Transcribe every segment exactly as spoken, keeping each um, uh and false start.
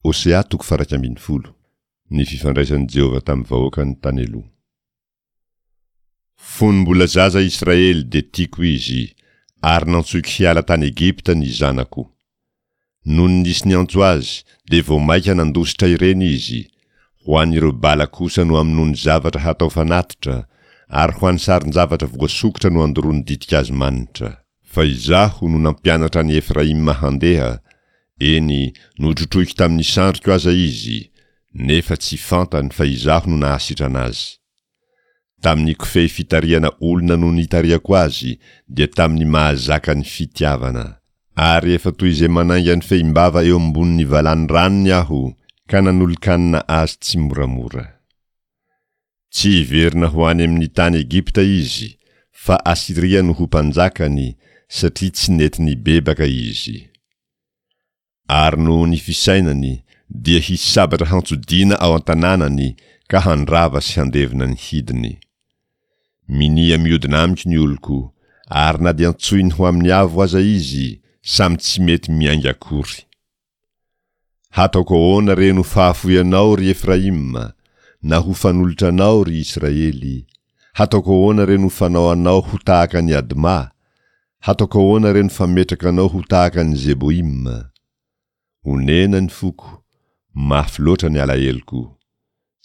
Hosea toko faha-iraika ambin'ny folo. Ny fifandraisan'i Jehovah tamin'ny vahoakany tany aloha. Fony mbola zaza Israely dia tiako izy, ary nantsoiko hiala tany Egypta ny zanako. Nony nisy niantso azy, dia vao mainka nandositra ireny izy, ho an'ireo bala kosa no amonoany zavatra hatao fanatitra, ary ho an'ny sarin-javatra voasokitra no andoroany ditin-kazo manitra. Fa Izaho no nampianatra an'i Efraima handeha, eny, notrotroiko tamin'ny sandriko aza izy, nefa tsy fantany fa Izaho no nahasitrana azy. Tamin'ny kofehy fitarihana olona no nitarihako azy, dia tamin'ny mahazaka ny fitiavana. Ary efa toy izay manainga ny fehimbava eo ambonin'ny valany ranony aho, ka nanolo-kanina azy tsimoramora. Tsy hiverina ho any amin'ny tany Egypta izy, fa Asyria no ho mpanjakany, satria tsy nety nibebaka izy. Ary noho ny fisainany, dia hisy sabatra hantsodiana ao an-tanànany ka handrava sy handevona ny hidiny. Minia miodina amiko ny oloko, ary na dia antsoiny ho amin'ny avo aza izy, samy tsy mety miainga akory. Hataoko ahoana re no fahafoy anao, ry Efraima, na ho fanolotra anao, ry Israely? Hataoko ahoana re no fanao anao ho tahaka an'i Adma? Hataoko ahoana re no fametraka anao ho tahaka an'i Zeboima? Onena ny foko, mafy loatra ny alaheloko.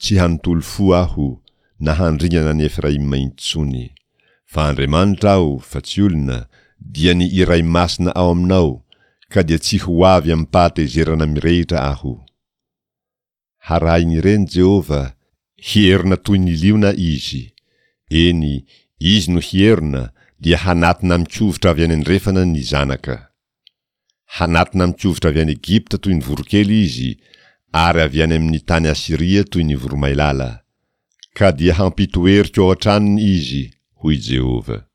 Tsy hanontolo fo aho, na handringana an'i Efraima intsony. Fa Andriamanitra aho, fa tsy olona, dia ny Iray Masina ao aminao, ka dia tsy ho avy amim-pahatezerana mirehitra aho. Harahin'ireny Jehovah, hierona toy ny liona izy. Eny, izy no hierona, dia hanatona amin-kovitra avy any andrefana ny zanaka. Hanatona amin-kovitra avy any Egypta toy ny voronkely izy, ary avy any amin'ny tany Asyria toy ny voromailala. Ka dia hampitoeriko ao an-tranony izy, hoy Jehovah.